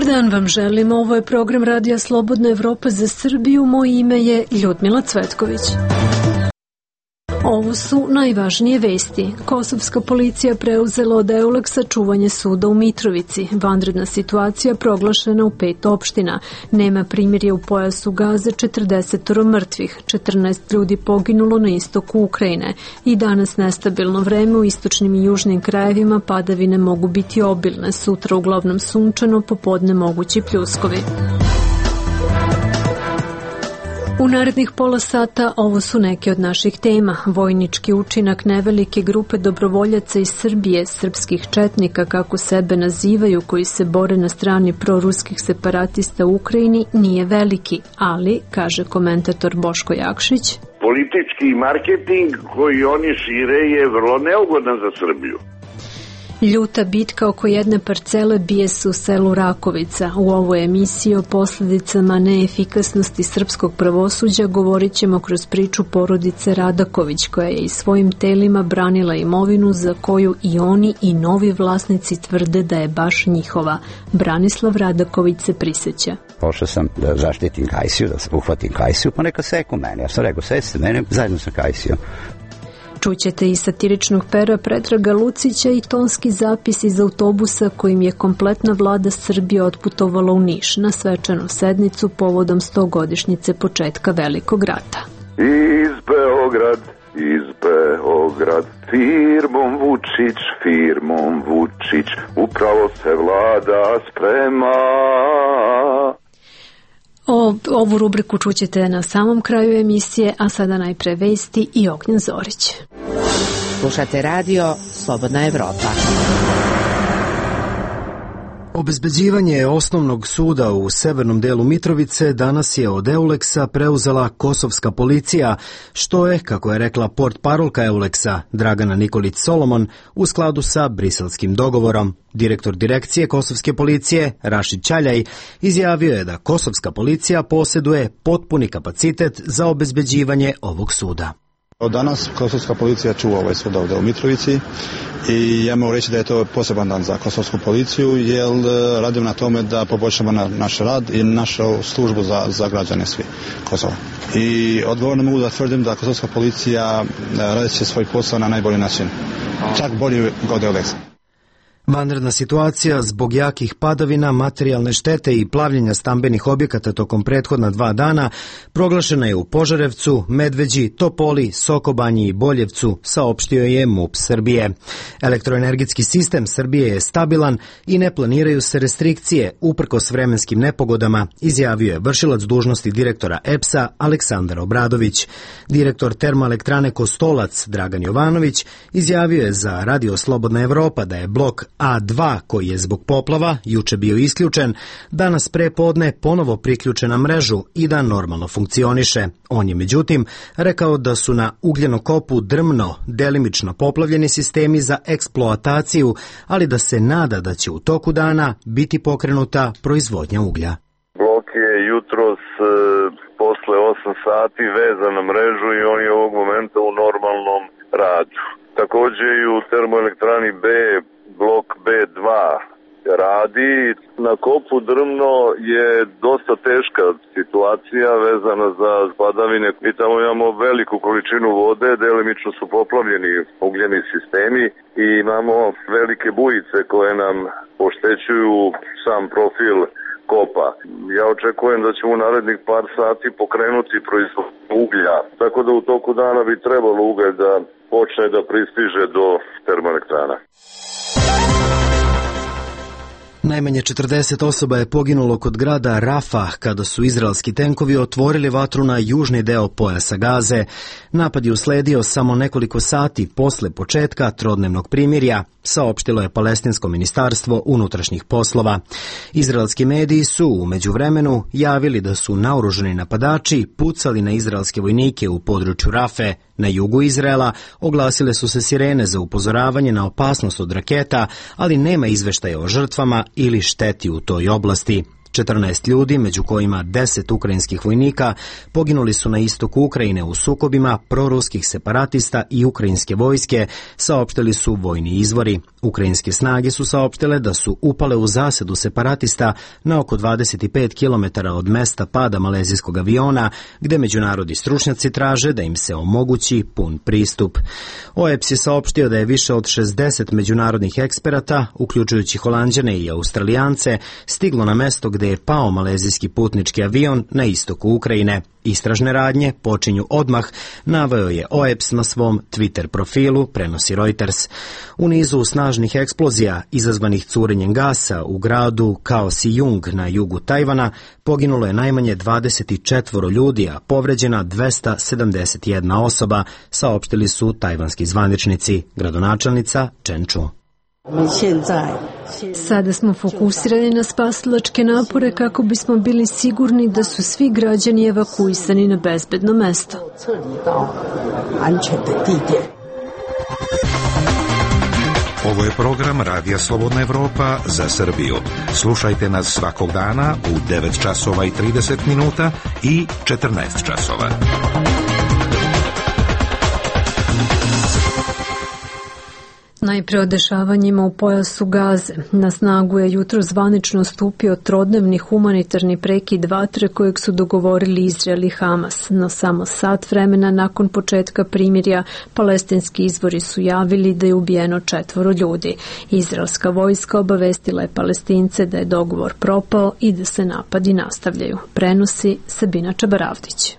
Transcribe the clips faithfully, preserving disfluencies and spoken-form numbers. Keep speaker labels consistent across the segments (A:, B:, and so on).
A: Dobar dan vam želim, ovo je program Radija Slobodna Evropa za Srbiju, moje ime je Ljudmila Cvetković. Ovo su najvažnije vesti. Kosovska policija preuzela od Euleksa čuvanje suda u Mitrovici. Vanredna situacija proglašena u pet opština. Nema primirje u pojasu Gaze, četrdeset mrtvih, četrnaest ljudi poginulo na istoku Ukrajine. I danas nestabilno vreme u istočnim i južnim krajevima, padavine mogu biti obilne. Sutra uglavnom sunčano, popodne mogući pljuskovi. U narednih pola sata ovo su neke od naših tema. Vojnički učinak nevelike grupe dobrovoljaca iz Srbije, srpskih četnika kako sebe nazivaju, koji se bore na strani proruskih separatista u Ukrajini, nije veliki, ali, kaže komentator Boško Jakšić,
B: politički marketing koji oni šire je vrlo neugodan za Srbiju.
A: Ljuta bitka oko jedne parcele bije se u selu Rakovica. U ovoj emisiji o posljedicama neefikasnosti srpskog pravosuđa govorit ćemo kroz priču porodice Radaković, koja je i svojim telima branila imovinu za koju i oni i novi vlasnici tvrde da je baš njihova. Branislav Radaković se prisjeća.
C: Pošao sam da zaštitim Kajsiju, da uhvatim Kajsiju, pa neka seku mene. Ja sam rekao, sve se mene zajedno sa Kajsijom.
A: Čućete i satiričnog pera Predraga Lucića i tonski zapis iz autobusa kojim je kompletna vlada Srbije otputovala u Niš na svečanu sednicu povodom stogodišnjice početka Velikog rata.
B: Iz Beograd, iz Beograd, firmom Vučić, firmom Vučić, upravo se vlada sprema.
A: O, ovu rubriku čućete na samom kraju emisije, a sada najpre vesti i Ognjen Zorić.
D: Slušate radio Slobodna Evropa.
E: Obezbeđivanje osnovnog suda u severnom delu Mitrovice danas je od Euleksa preuzela kosovska policija, što je, kako je rekla portparolka Euleksa Dragana Nikolić Solomon, u skladu sa briselskim dogovorom. Direktor direkcije kosovske policije, Rašid Ćaljaj, izjavio je da kosovska policija posjeduje potpuni kapacitet za obezbeđivanje ovog suda.
F: Od danas kosovska policija čuva ovaj sud ovdje u Mitrovici i ja mogu reći da je to poseban dan za kosovsku policiju, jer radimo na tome da poboljšamo na naš rad i našu službu za, za građane svi Kosova. I odgovorno mogu da tvrdim da kosovska policija radi će svoj posao na najbolji način, čak bolji od Euleksa.
E: Vanredna situacija zbog jakih padavina, materijalne štete i plavljenja stambenih objekata tokom prethodna dva dana proglašena je u Požarevcu, Medveđi, Topoli, Sokobanji i Boljevcu, saopštio je M U P Srbije. Elektroenergetski sistem Srbije je stabilan i ne planiraju se restrikcije uprkos vremenskim nepogodama, izjavio je vršilac dužnosti direktora E P S-a Aleksandar Obradović. Direktor termoelektrane Kostolac Dragan Jovanović izjavio je za Radio Slobodna Evropa da je blok A dva, koji je zbog poplava juče bio isključen, danas pre podne ponovo priključen na mrežu i da normalno funkcioniše. On je međutim rekao da su na ugljenokopu Drmno delimično poplavljeni sistemi za eksploataciju, ali da se nada da će u toku dana biti pokrenuta proizvodnja uglja.
B: Blok je jutros e, posle osam sati vezan na mrežu i on je ovog momenta u normalnom radu. Također i u termoelektrani B blok B dva radi. Na kopu Drmno je dosta teška situacija vezana za padavine. Mi tamo imamo veliku količinu vode, delimično su poplavljeni ugljeni sistemi i imamo velike bujice koje nam oštećuju sam profil kopa. Ja očekujem da ćemo u narednih par sati pokrenuti proizvodnju uglja, tako da u toku dana bi trebalo ugalj da počne da pristiže do termoelektrana.
E: Najmanje četrdeset osoba je poginulo kod grada Rafa kada su izraelski tenkovi otvorili vatru na južni deo pojasa Gaze. Napad je usledio samo nekoliko sati posle početka trodnevnog primirja, saopštilo je Palestinsko ministarstvo unutrašnjih poslova. Izraelski mediji su u međuvremenu javili da su naoružani napadači pucali na izraelske vojnike u području Rafe. Na jugu Izraela oglasile su se sirene za upozoravanje na opasnost od raketa, ali nema izveštaja o žrtvama ili šteti u toj oblasti. četrnaest ljudi, među kojima deset ukrajinskih vojnika, poginuli su na istoku Ukrajine u sukobima proruskih separatista i ukrajinske vojske, saopštili su vojni izvori. Ukrajinske snage su saopštile da su upale u zasedu separatista na oko dvadeset pet kilometara od mesta pada malezijskog aviona, gde međunarodni stručnjaci traže da im se omogući pun pristup. O E P S je saopštio da je više od šezdeset međunarodnih eksperata, uključujući Holanđane i Australijance, stiglo na mesto gde je pao malezijski putnički avion na istoku Ukrajine. Istražne radnje počinju odmah, naveo je O E P S na svom Twitter profilu, prenosi Reuters. U nizu snažnih eksplozija izazvanih curenjem gasa u gradu Kaohsiung na jugu Tajvana poginulo je najmanje dvadeset četiri ljudi, a povređena dvesta sedamdeset jedna osoba, saopštili su tajvanski zvaničnici, gradonačelnica Chen Chu.
A: Sada smo fokusirani na spasilačke napore kako bismo bili sigurni da su svi građani evakuisani na bezbedno mesto.
G: Ovo je program Radija Slobodna Evropa za Srbiju. Slušajte nas svakog dana u devet časova i trideset minuta i četrnaest časova.
A: Najpre o dešavanjima u pojasu Gaze. Na snagu je jutro zvanično stupio trodnevni humanitarni prekid vatre kojeg su dogovorili Izrael i Hamas. No samo sat vremena nakon početka primirja palestinski izvori su javili da je ubijeno četvoro ljudi. Izraelska vojska obavestila je Palestince da je dogovor propao i da se napadi nastavljaju. Prenosi Sabina Čabaravdić.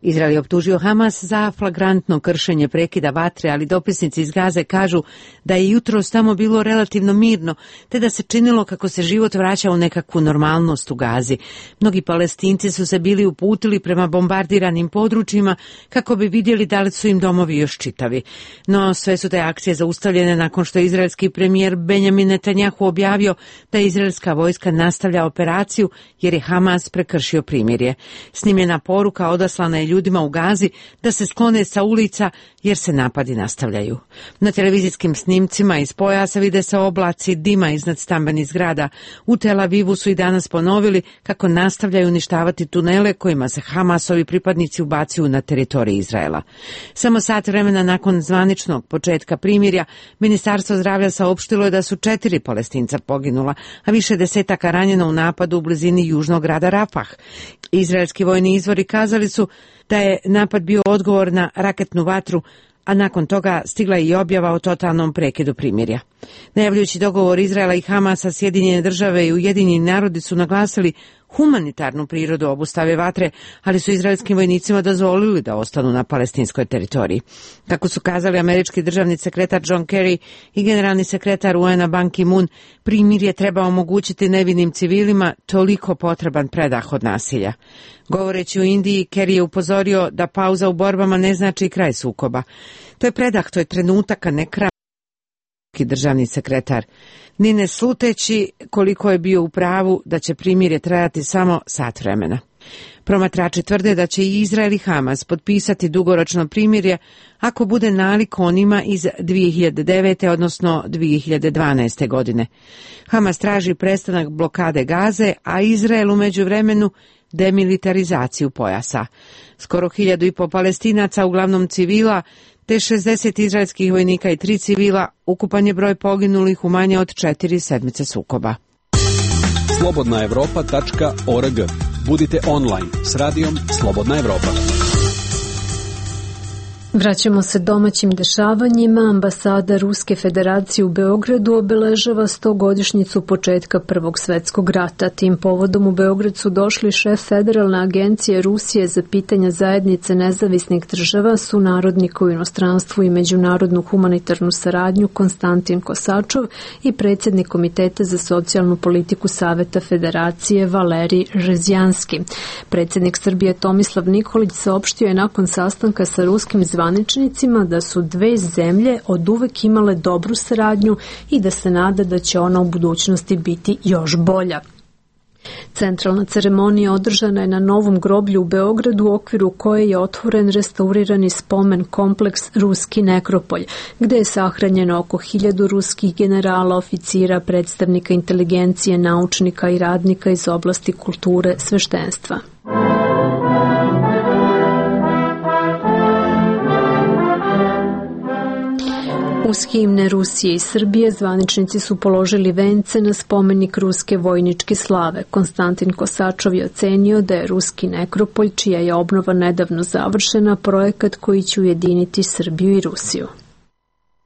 D: Izrael je optužio Hamas za flagrantno kršenje prekida vatre, ali dopisnici iz Gaze kažu da je jutros tamo bilo relativno mirno, te da se činilo kako se život vraća u nekakvu normalnost u Gazi. Mnogi Palestinci su se bili uputili prema bombardiranim područjima kako bi vidjeli da li su im domovi još čitavi. No sve su te akcije zaustavljene nakon što je izraelski premijer Benjamin Netanjahu objavio da izraelska vojska nastavlja operaciju jer je Hamas prekršio primirje. Snimljena poruka odaslana je ljudima u Gazi da se sklone sa ulica jer se napadi nastavljaju. Na televizijskim snimcima iz pojasa vide se oblaci dima iznad stambenih zgrada. U Tel Avivu su i danas ponovili kako nastavljaju uništavati tunele kojima se Hamasovi pripadnici ubacuju na teritoriji Izraela. Samo sat vremena nakon zvaničnog početka primirja, Ministarstvo zdravlja saopštilo je da su četiri Palestinca poginula, a više desetaka ranjeno u napadu u blizini južnog grada Rafah. Izraelski vojni izvori kazali su da je napad bio odgovor na raketnu vatru, a nakon toga stigla je i objava o totalnom prekidu primirja. Najavljujući dogovor Izraela i Hamasa, Sjedinjene države i Ujedinjeni narodi su naglasili humanitarnu prirodu obustave vatre, ali su izraelskim vojnicima dozvolili da ostanu na palestinskoj teritoriji. Kako su kazali američki državni sekretar John Kerry i generalni sekretar U N A Ban Ki-moon, primirje treba omogućiti nevinim civilima toliko potreban predah od nasilja. Govoreći u Indiji, Kerry je upozorio da pauza u borbama ne znači kraj sukoba. To je predah, to je trenutak, a ne kraj. Državni sekretar, ni ne sluteći koliko je bio u pravu da će primirje trajati samo sat vremena. Promatrači tvrde da će i Izrael i Hamas potpisati dugoročno primirje ako bude nalik onima iz dvije hiljade devete. odnosno dvije hiljade dvanaeste. godine. Hamas traži prestanak blokade Gaze, a Izrael u međuvremenu demilitarizaciju pojasa. Skoro hiljadu i po Palestinaca, uglavnom civila, te šezdeset izraelskih vojnika i tri civila, ukupan je broj poginulih u manje od četiri sedmice sukoba.
H: slobodna evropa tačka org. Budite online s radijom Slobodna Evropa.
A: Vraćamo se domaćim dešavanjima. Ambasada Ruske federacije u Beogradu obeležava stogodišnjicu početka Prvog svetskog rata. Tim povodom u Beograd su došli šef Federalne agencije Rusije za pitanja zajednice nezavisnih država, sunarodnik u inostranstvu i međunarodnu humanitarnu saradnju Konstantin Kosačov i predsjednik Komiteta za socijalnu politiku Saveta Federacije Valerij Žezjanski. Predsjednik Srbije Tomislav Nikolić saopštio je nakon sastanka sa ruskim zvaničnicima da su dve zemlje oduvek imale dobru saradnju i da se nada da će ona u budućnosti biti još bolja. Centralna ceremonija održana je na Novom groblju u Beogradu u okviru koje je otvoren restaurirani spomen kompleks Ruski nekropolj, gde je sahranjeno oko hiljadu ruskih generala, oficira, predstavnika inteligencije, naučnika i radnika iz oblasti kulture, sveštenstva. Uz himne Rusije i Srbije zvaničnici su položili vence na spomenik ruske vojničke slave. Konstantin Kosačov je ocenio da je Ruski nekropolj, čija je obnova nedavno završena, projekat koji će ujediniti Srbiju i Rusiju.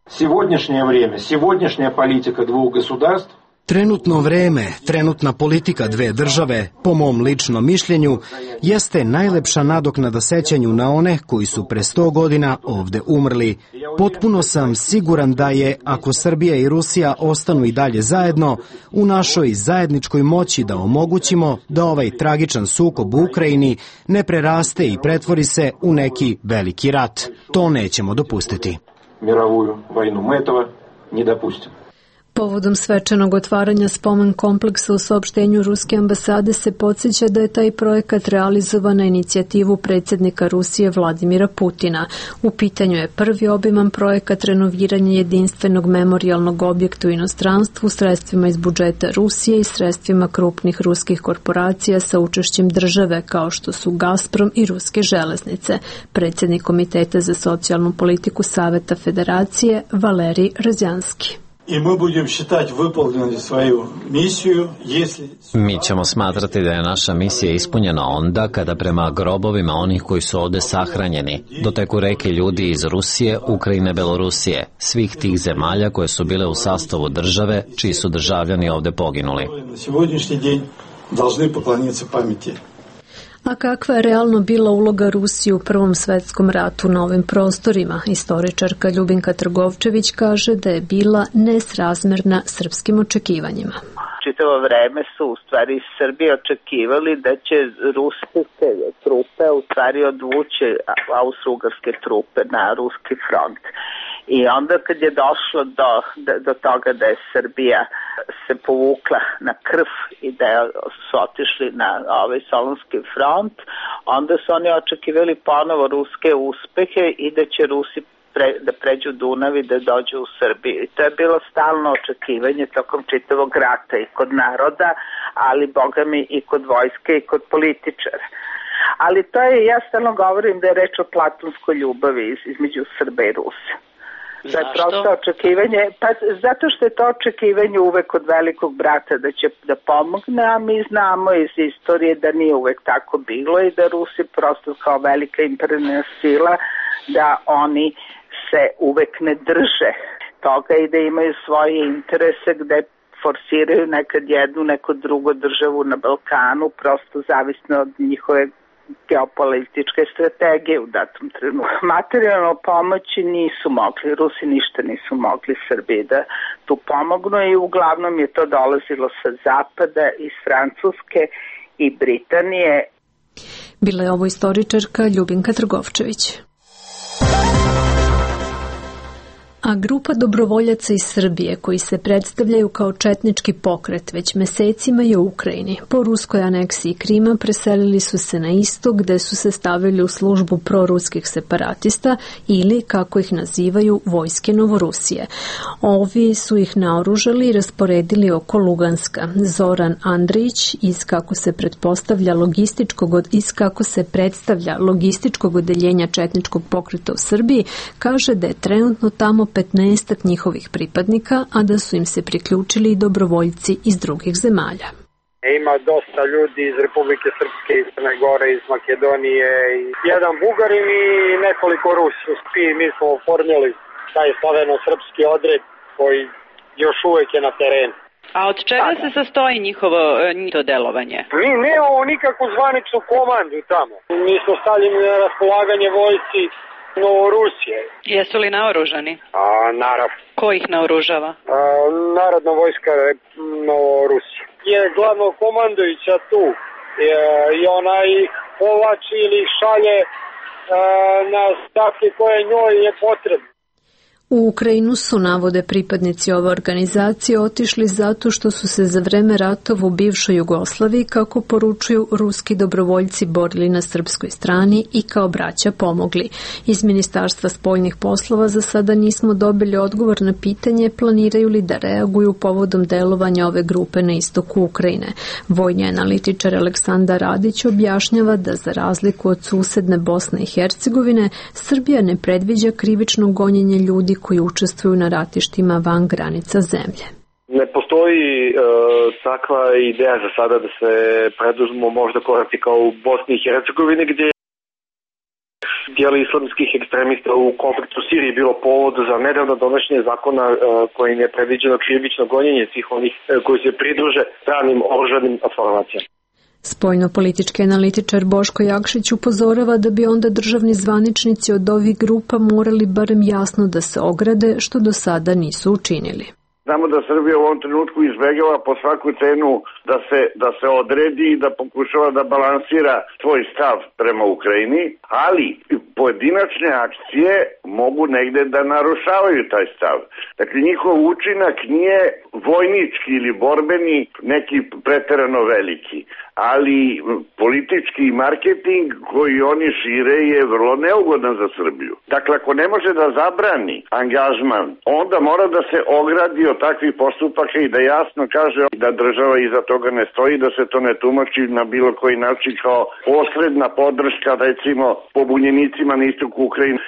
I: Сегодняшнее время, сегодняшняя политика двух государств
E: Trenutno vreme, trenutna politika dve države, po mom ličnom mišljenju, jeste najlepša nadoknada sećanju na one koji su pre sto godina ovde umrli. Potpuno sam siguran da je, ako Srbija i Rusija ostanu i dalje zajedno, u našoj zajedničkoj moći da omogućimo da ovaj tragičan sukob u Ukrajini ne preraste i pretvori se u neki veliki rat. To nećemo dopustiti.
I: Мировую войну. Мы этого не допустим.
A: Povodom svečanog otvaranja spomen kompleksa u saopštenju Ruske ambasade se podsjeća da je taj projekat realizovan na inicijativu predsjednika Rusije Vladimira Putina. U pitanju je prvi obiman projekat renoviranja jedinstvenog memorijalnog objekta u inostranstvu sredstvima iz budžeta Rusije i sredstvima krupnih ruskih korporacija sa učešćem države kao što su Gazprom i Ruske železnice. Predsjednik Komiteta za socijalnu politiku Saveta Federacije Valerij Razjanski.
J: I mi budemo считать выполнили свою миссию, если...
K: Mi ćemo smatrati da je naša misija ispunjena onda kada prema grobovima onih koji su ovde sahranjeni doteku reke ljudi iz Rusije, Ukrajine, Belorusije, svih tih zemalja koje su bile u sastavu države, čiji su državljani ovde poginuli.
J: Na сегодняшний день должны поклониться памяти.
A: A kakva je realno bila uloga Rusije u Prvom svetskom ratu na ovim prostorima? Istoričarka Ljubinka Trgovčević kaže da je bila nesrazmerna srpskim očekivanjima.
L: Čitavo vreme su u stvari Srbije očekivali da će ruske trupe u stvari odvući austrougarske trupe na ruski front. I onda kad je došlo do, do toga da je Srbija se povukla na krv i da su otišli na ovaj Solunski front, onda su oni očekivali ponovo ruske uspehe i da će Rusi pre, da pređu Dunav i da dođu u Srbiju. I to je bilo stalno očekivanje tokom čitavog rata i kod naroda, ali boga mi i kod vojske i kod političara. Ali to je, ja stalno govorim da je reč o platonskoj ljubavi između Srba i Rusa. Da je prosto očekivanje, pa zato što je to očekivanje uvek od velikog brata da će da pomogne, a mi znamo iz istorije da nije uvek tako bilo i da Rusi prosto kao velika imperijalna sila, da oni se uvek ne drže toga i da imaju svoje interese gde forsiraju nekad jednu, neku drugu državu na Balkanu, prosto zavisno od njihove geopolitičke strategije u datom trenutku. Materijalno pomoći nisu mogli, Rusi ništa nisu mogli Srbiji da tu pomognu i uglavnom je to dolazilo sa zapada, iz Francuske i Britanije.
A: Bila je ovo istoričarka Ljubinka Trgovčević. A grupa dobrovoljaca iz Srbije koji se predstavljaju kao četnički pokret već mesecima je u Ukrajini. Po ruskoj aneksiji Krima preselili su se na istok gde su se stavili u službu proruskih separatista ili, kako ih nazivaju, vojske Novorusije. Ovi su ih naoružali i rasporedili oko Luganska. Zoran Andrić iz kako se pretpostavlja logističkog od iz kako se predstavlja logističkog odeljenja četničkog pokreta u Srbiji kaže da je trenutno tamo petnaestak njihovih pripadnika, a da su im se priključili i dobrovoljci iz drugih zemalja.
M: Ima dosta ljudi iz Republike Srpske, iz Crne Gore, iz Makedonije, jedan Bugarin i nekoliko Rusi. Mi smo oformili taj slaveno-srpski odred koji još uvek je na terenu.
N: A od čega se sastoji njihovo to delovanje?
M: Mi nemamo nikakvu zvaničnu komandu tamo. Mi smo stavljeni na raspolaganje vojsci Novorusije.
N: Jesu li naoružani?
M: A, naravno.
N: Ko ih naoružava?
M: A, Narodna vojska Novorusije. Je glavno komandujuća tu je, i ona ih povlači ili ih šalje a, na stavke koje njoj je potrebno.
A: U Ukrajinu su, navode pripadnici ove organizacije, otišli zato što su se za vreme ratova u bivšoj Jugoslaviji, kako poručuju ruski dobrovoljci, borili na srpskoj strani i kao braća pomogli. Iz Ministarstva spoljnih poslova za sada nismo dobili odgovor na pitanje planiraju li da reaguju povodom delovanja ove grupe na istoku Ukrajine. Vojni analitičar Aleksandar Radić objašnjava da za razliku od susedne Bosne i Hercegovine, Srbija ne predviđa krivično gonjenje ljudi koji učestvuju na ratištima van granica zemlje.
O: Ne postoji e, takva ideja za sada da se preduzmu možda koraci kao u Bosni i Hercegovini, gdje dijeli islamskih ekstremista u konfliktu u Siriji bilo povod za nedavno donošenje zakona e, kojim je predviđeno krivično gonjenje svih onih e, koji se pridruže stranim oružanim formacijama.
A: Spoljno-politički analitičar Boško Jakšić upozorava da bi onda državni zvaničnici od ovih grupa morali barem jasno da se ograde, što do sada nisu učinili.
P: Znamo da Srbija u ovom trenutku izbegava po svaku cenu da se, da se odredi i da pokušava da balansira svoj stav prema Ukrajini, ali pojedinačne akcije mogu negde da narušavaju taj stav. Dakle, njihov učinak nije vojnički ili borbeni, neki preterano veliki, ali politički marketing koji oni šire je vrlo neugodan za Srbiju. Dakle, ako ne može da zabrani angažman, onda mora da se ogradi od takvih postupaka i da jasno kaže da država iza toga ne stoji, da se to ne tumači na bilo koji način kao posredna podrška, recimo, pobunjenicima na istoku Ukrajine.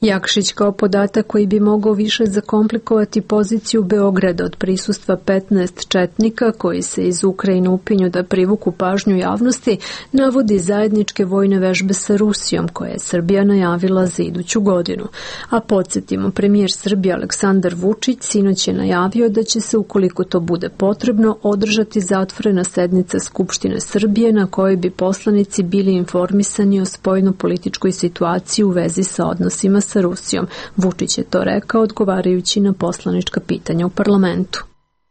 A: Jakšić kao podatak koji bi mogao više zakomplikovati poziciju Beograda od prisustva petnaest četnika koji se iz Ukrajine upinju da privuku pažnju javnosti, navodi zajedničke vojne vežbe sa Rusijom koje je Srbija najavila za iduću godinu. A podsjetimo, premijer Srbije Aleksandar Vučić sinoć je najavio da će se, ukoliko to bude potrebno, održati zatvorena sednica Skupštine Srbije na kojoj bi poslanici bili informisani o spoljno-političkoj situaciji u vezi sa odnosima sa Rusijom. Vučić je to rekao odgovarajući na poslanička pitanja u parlamentu.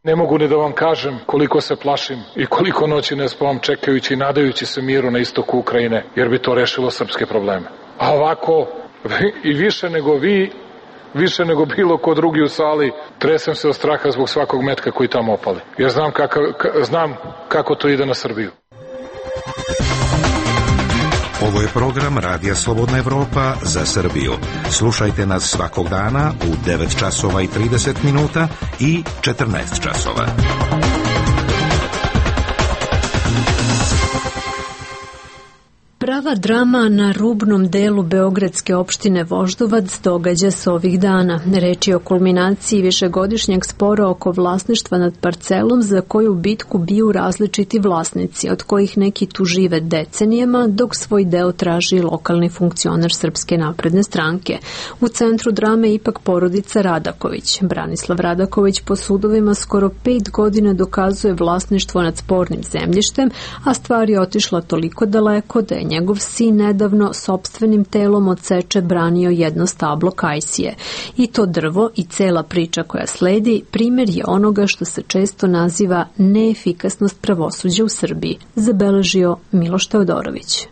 Q: Ne mogu ni da vam kažem koliko se plašim i koliko noći ne spavam čekajući i nadajući se miru na istoku Ukrajine, jer bi to rešilo srpske probleme. A ovako, i više nego vi, više nego bilo ko drugi u sali, tresem se od straha zbog svakog metka koji tamo opali. Jer znam, kakav, znam kako to ide na Srbiju.
G: Ovo je program Radija Slobodna Evropa za Srbiju. Slušajte nas svakog dana u devet časova i trideset minuta i četrnaest časova.
A: Prava drama na rubnom delu beogradske opštine Voždovac događa se ovih dana. Reč je o kulminaciji višegodišnjeg spora oko vlasništva nad parcelom za koju bitku biju različiti vlasnici, od kojih neki tu žive decenijama, dok svoj deo traži lokalni funkcioner Srpske napredne stranke. U centru drame je ipak porodica Radaković. Branislav Radaković po sudovima skoro pet godina dokazuje vlasništvo nad spornim zemljištem, a stvar je otišla toliko daleko da je njegov sin nedavno sopstvenim telom od seče branio jedno stablo kajsije. I to drvo i cela priča koja sledi primjer je onoga što se često naziva neefikasnost pravosuđa u Srbiji, zabeležio Miloš Teodorović.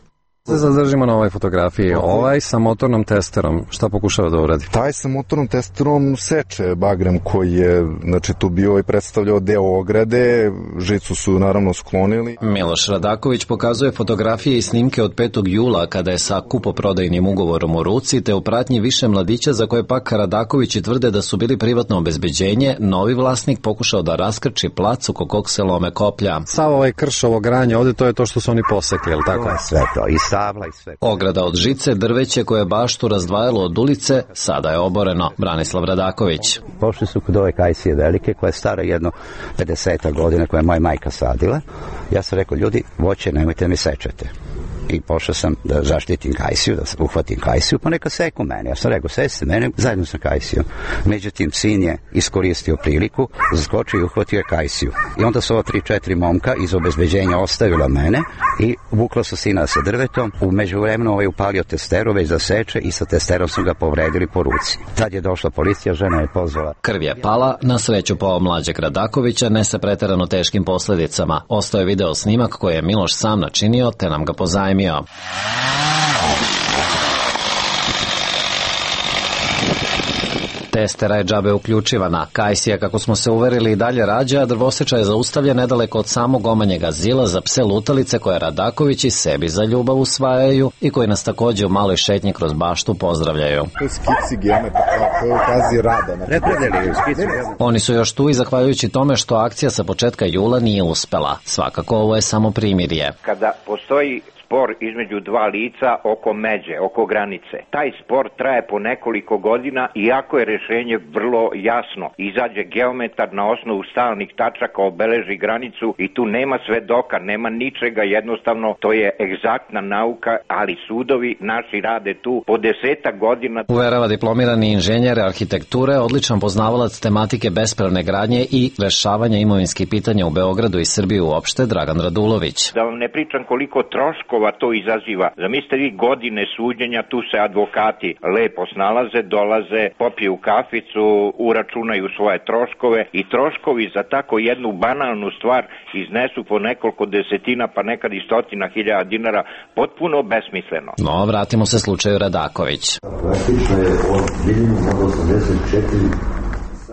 R: Se zadržimo na ovoj fotografiji. Ovaj sa motornom testerom, šta pokušava da uradi?
S: Taj sa motornom testerom seče bagrem koji je, znači, tu bio i predstavljao deo ograde, žicu su naravno sklonili.
K: Miloš Radaković pokazuje fotografije i snimke od petog jula kada je sa kupoprodajnim ugovorom u ruci te u pratnji više mladića za koje pak Radakovići tvrde da su bili privatno obezbeđenje, novi vlasnik pokušao da raskrči plac oko kog se lome koplja.
R: Sav ovaj krš, ovo granje ovde, to je to što su oni posekli, je li tako?
C: To je sve to, i
K: ograda od žice, drveće koje je baštu razdvajalo od ulice, sada je oboreno. Branislav Radaković.
C: Pošli su kod ove kajsije velike, koja je stara jedno pedeset godina, koja je moja majka sadila. Ja sam rekao, ljudi, voće nemojte mi sečete. I pošao sam da zaštitim kajsiju, da uhvatim kajsiju, pa neka seku mene. Ja sam rekao, seste mene, zajedno sa kajsijom. Međutim, sin je iskoristio priliku, zaskočio i uhvatio je kajsiju. I onda su ova tri, četiri momka iz obezbeđenja ostavila mene i vukla su sina sa drvetom. U međuvremenu ovaj upalio testeru već da seče i sa testerom su ga povredili po ruci. Tad je došla policija, žena je pozvala.
K: Krv je pala, na sreću po mlađeg Radakovića, ne sa preterano teškim posledicama. Ostao je video snimak koji je Miloš sam načinio, te nam ga pozajmio. Testera je džabe uključivana. Kajsija, kako smo se uverili, i dalje rađa, a drvoseča je zaustavlja nedaleko od samog omanjeg azila za pse lutalice koje Radakovići sebi za ljubav usvajaju i koji nas takođe u maloj šetnji kroz baštu pozdravljaju. Oni su još tu i zahvaljujući tome što akcija sa početka jula nije uspela. Svakako ovo je samo primirje.
T: Kada postoji spor između dva lica oko međe, oko granice. Taj spor traje po nekoliko godina, iako je rešenje vrlo jasno. Izađe geometar na osnovu stalnih tačaka, obeleži granicu i tu nema svedoka, nema ničega, jednostavno to je egzaktna nauka, ali sudovi naši rade tu po desetak godina.
K: Uverava diplomirani inženjer arhitekture, odličan poznavalac tematike bespravne gradnje i rešavanja imovinskih pitanja u Beogradu i Srbiji uopšte, Dragan Radulović.
T: Da vam ne pričam koliko troškova to izaziva. Zamislite vi godine suđenja, tu se advokati lepo snalaze, dolaze, popiju kaficu, uračunaju svoje troškove i troškovi za tako jednu banalnu stvar iznesu po nekoliko desetina, pa nekad i stotina hiljada dinara, potpuno besmisleno.
K: No, vratimo se slučaju Radaković.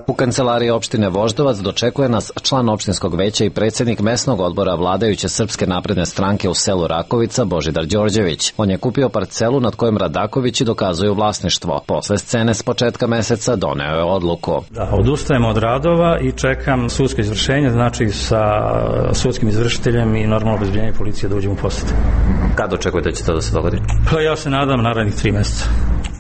K: U kancelariji opštine Voždovac dočekuje nas član opštinskog veća i predsjednik mesnog odbora vladajuće Srpske napredne stranke u selu Rakovica, Božidar Đorđević. On je kupio parcelu nad kojom Radakovići dokazuju vlasništvo. Posle scene s početka meseca doneo je odluku.
U: Da, odustajemo od radova i čekam sudsko izvršenje, znači sa sudskim izvršiteljem i normalno obezbeđenje policije da uđemo u posjed.
K: Kad očekujete da će to da se dogodi?
U: Pa ja se nadam narednih tri meseca.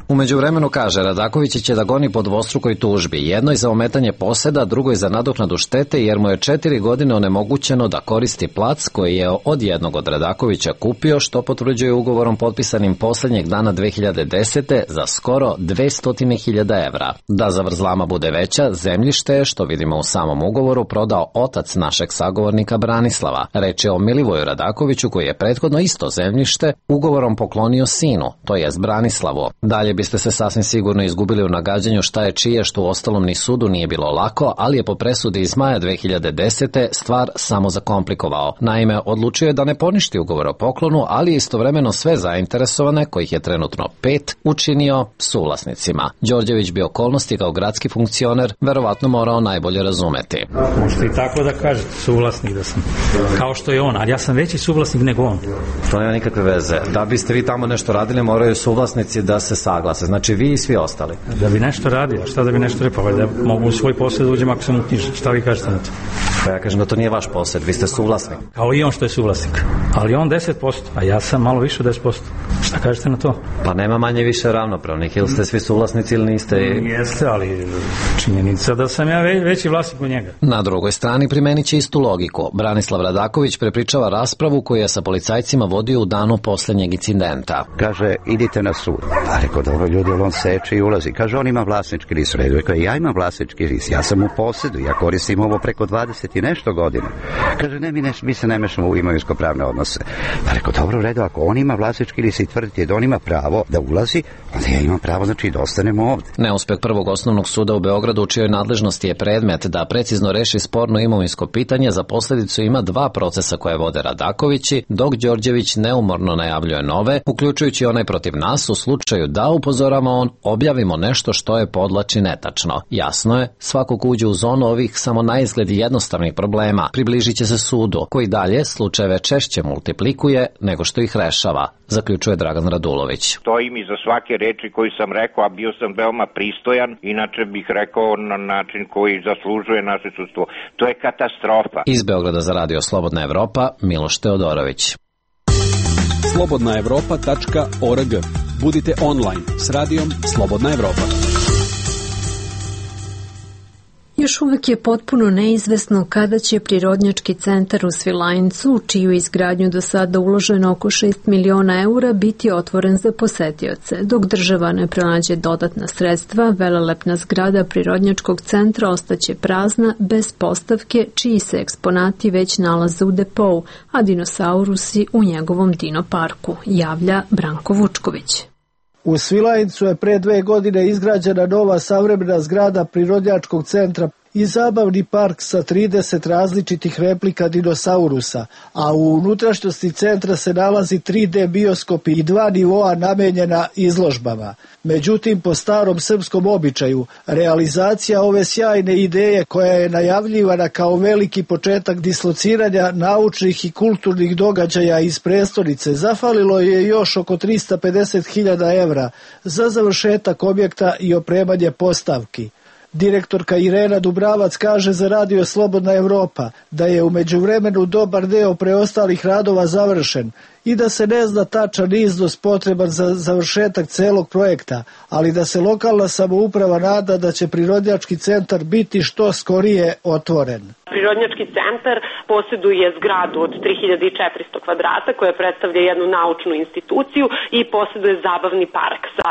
K: U međuvremenu, kaže, Radaković će da goni po dvostrukoj tužbi, jednoj za ometanje poseda, drugoj za nadoknadu štete, jer mu je četiri godine onemogućeno da koristi plac koji je od jednog od Radakovića kupio, što potvrđuje ugovorom potpisanim poslednjeg dana dve hiljade desete za skoro dvesta hiljada evra. Da zavrzlama bude veća, zemljište je, što vidimo u samom ugovoru, prodao otac našeg sagovornika Branislava. Reč je o Milivoju Radakoviću, koji je prethodno isto zemljište ugovorom poklonio sinu, to jest Branislavu. Dalje biste se sasvim sigurno izgubili u nagađanju šta je čije, što u ostalom ni sudu nije bilo lako, ali je po presudi iz maja dve hiljade desete stvar samo zakomplikovao. Naime, odlučio je da ne poništi ugovor o poklonu, ali je istovremeno sve zainteresovane, kojih je trenutno pet, učinio suvlasnicima. Đorđević bi okolnosti kao gradski funkcioner verovatno morao najbolje razumeti.
U: Možete i tako da kažete, suvlasnik da sam. Kao što je on, ali ja sam veći suvlasnik nego on.
K: To nema nikakve veze. Da biste vi tamo nešto radili, moraju suvlasnici da se saglase. Znači vi i svi ostali.
U: Da bi nešto radio, šta da bi nešto repao, da mogu u svoj posjed uđem ako sam uknjižen. Šta vi kažete na to?
K: Pa ja kažem da to nije vaš posjed, vi ste suvlasnik.
U: Kao i on što je suvlasnik. Ali on deset posto, a ja sam malo više od deset posto. Šta kažete na to?
K: Pa nema manje više ravnopravnih, ili ste svi suvlasnici ili niste?
U: Jeste, ali činjenica da sam ja veći vlasnik od njega.
K: Na drugoj strani primenit će istu logiku. Branislav Radaković prepričava raspravu koju je sa policajcima vodio u danu poslednjeg incidenta.
C: Kaže, idite na sud. A rekao, dobro ljudi, on seče i ulazi. Kaže, on ima vlasnički list. Redu, kaže, ja imam vlasnički list, ja sam u posedu, ja koristim ovo preko dvadeset i nešto godina. Kaže, ne, mi, ne, mi se ne mešamo u imovinsko-pravne odnose. Pa rekao, dobro, redu, ako on ima vlasnički list i tvrditi da on ima pravo da ulazi, onda ja imam pravo, znači da ostanemo ovde.
K: Neuspeh prvog osnovnog suda u Beogradu, u čijoj nadležnosti je predmet da precizno reši sporno imovinsko pitanje, za posledicu ima dva procesa koje vode Radakovići, dok Đorđević neumorno najavljuje nove, uključujući onaj protiv nas, u slučaju da, upozorava on, objavimo nešto što je podlači netačno. Jasno je, svako ko uđe u zonu ovih samo naizgled jednostavnih problema približit će se sudu, koji dalje slučajeve češće multiplikuje nego što ih rešava, zaključuje Dragan Radulović.
T: Stojim iza svake reči koju sam rekao, a bio sam veoma pristojan, inače bih rekao na način koji zaslužuje naše sudstvo. To je katastrofa.
K: Iz Beograda za radio Slobodna Evropa, Miloš Teodorović.
H: slobodna evropa tačka org. Budite online s radijom Slobodna Evropa.
A: Još uvek je potpuno neizvesno kada će prirodnjački centar u Svilajncu, u čiju izgradnju do sada uloženo oko šest miliona eura, biti otvoren za posetioce. Dok država ne pronađe dodatna sredstva, velelepna zgrada prirodnjačkog centra ostaće prazna, bez postavke, čiji se eksponati već nalaze u depou, a dinosaurusi u njegovom dino parku, javlja Branko Vučković.
V: U Svilajncu je pre dve godine izgrađena nova savremena zgrada prirodnjačkog centra
F: i zabavni park sa trideset različitih replika dinosaurusa, a u unutrašnjosti centra se nalazi tri D bioskop i dva nivoa namenjena izložbama. Međutim, po starom srpskom običaju, realizacija ove sjajne ideje koja je najavljivana kao veliki početak dislociranja naučnih i kulturnih događaja iz prestonice zafalilo je još oko trista pedeset hiljada evra za završetak objekta i opremanje postavki. Direktorka Irena Dubravac kaže za Radio Slobodna Evropa da je u međuvremenu dobar deo preostalih radova završen i da se ne zna tačan iznos potreban za završetak celog projekta, ali da se lokalna samouprava nada da će prirodnjački centar biti što skorije otvoren.
V: Prirodnjački centar posjeduje zgradu od tri hiljade četiristo kvadrata koja predstavlja jednu naučnu instituciju i posjeduje zabavni park sa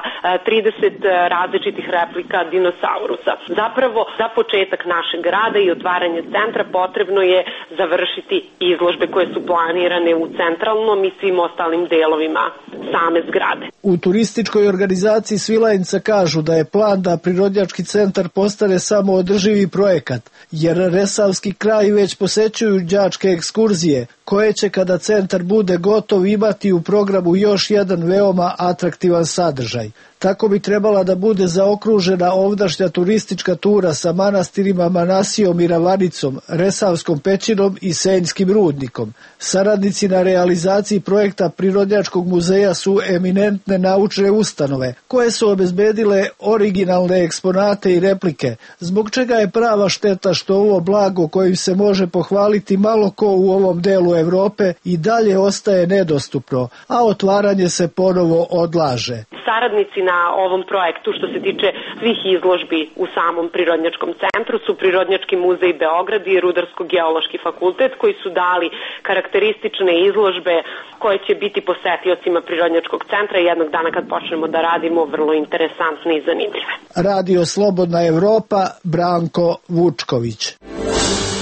V: trideset različitih replika dinosaurusa. Zapravo, za početak našeg rada i otvaranje centra potrebno je završiti izložbe koje su planirane u centralnom i svim ostalim delovima same zgrade.
F: U turističkoj organizaciji Svilajnca kažu da je plan da prirodnjački centar postane samo održivi projekat, jer Resavski kraj već posećuju đačke ekskurzije, koje će kada centar bude gotov imati u programu još jedan veoma atraktivan sadržaj. Tako bi trebala da bude zaokružena ovdašnja turistička tura sa manastirima Manasijom i Ravanicom, Resavskom pećinom i Senjskim rudnikom. Saradnici na realizaciji projekta Prirodnjačkog muzeja su eminentne naučne ustanove, koje su obezbedile originalne eksponate i replike, zbog čega je prava šteta što ovo blago kojim se može pohvaliti malo ko u ovom delu Evrope i dalje ostaje nedostupno, a otvaranje se ponovo odlaže.
V: Saradnici na ovom projektu što se tiče svih izložbi u samom Prirodnjačkom centru su Prirodnjački muzej Beograd i Rudarsko-geološki fakultet koji su dali karakteristične izložbe koje će biti posetiocima Prirodnjačkog centra i jednog dana kad počnemo da radimo vrlo interesantne i zanimljive.
F: Radio Slobodna Evropa, Branko Vučković.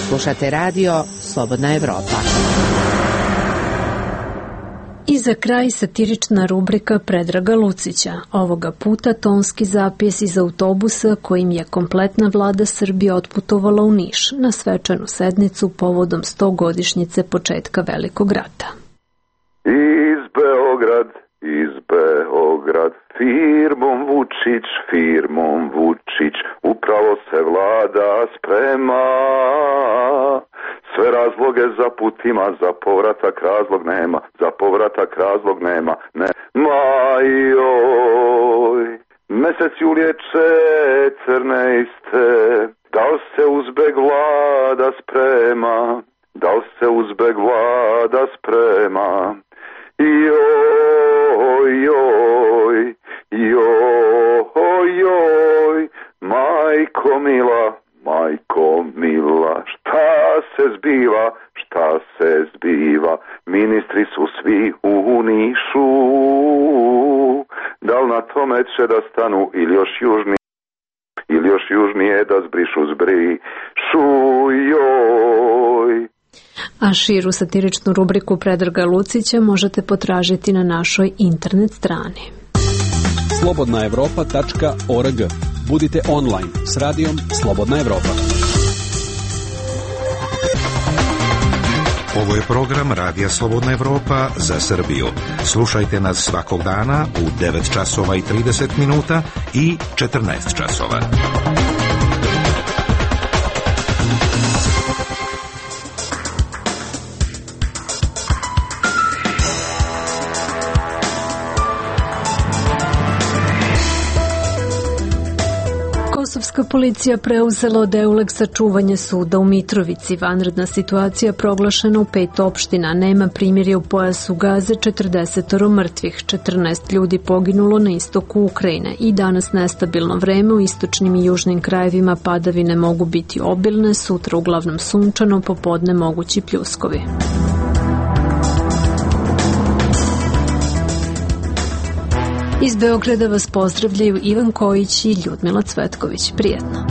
D: Slušate radio Slobodna Evropa.
A: I za kraj satirična rubrika Predraga Lucića, ovoga puta tonski zapis iz autobusa kojim je kompletna vlada Srbije otputovala u Niš na svečanu sednicu povodom stogodišnjice početka Velikog rata.
B: Iz Beograd, iz Beograd, firmom Vučić, firmom Vučić, upravo se vlada sprema. Sve razloge za putima, za povratak razlog nema, za povratak razlog nema, ne. Majoj, mesec julječe crneiste, da li se uzbeg vlada sprema, da li se uzbeg vlada sprema. Joj, joj, joj, joj, majko mila, majko mila, šta se zbiva, šta se zbiva, ministri su svi u Nišu, da li na tome će da stanu ili još južnije, ili još južnije da zbrišu zbrišu, joj.
A: A širu satiričnu rubriku Predraga Lucića možete potražiti na našoj internet strani.
H: slobodna evropa tačka org. Budite online s radijom Slobodna Evropa.
G: Ovo je program Radija Slobodna Evropa za Srbiju. Slušajte nas svakog dana u devet časova i trideset minuta i četrnaest časova.
A: Kosovska policija preuzela od Euleksa čuvanje suda u Mitrovici. Vanredna situacija proglašena u pet opština. Nema primirja u pojasu Gaze, četrdeset mrtvih, četrnaest ljudi poginulo na istoku Ukrajine. I danas nestabilno vreme u istočnim i južnim krajevima, padavine mogu biti obilne, sutra uglavnom sunčano, popodne mogući pljuskovi. Iz Beograda vas pozdravljaju Ivan Kojić i Ljudmila Cvetković. Prijetno.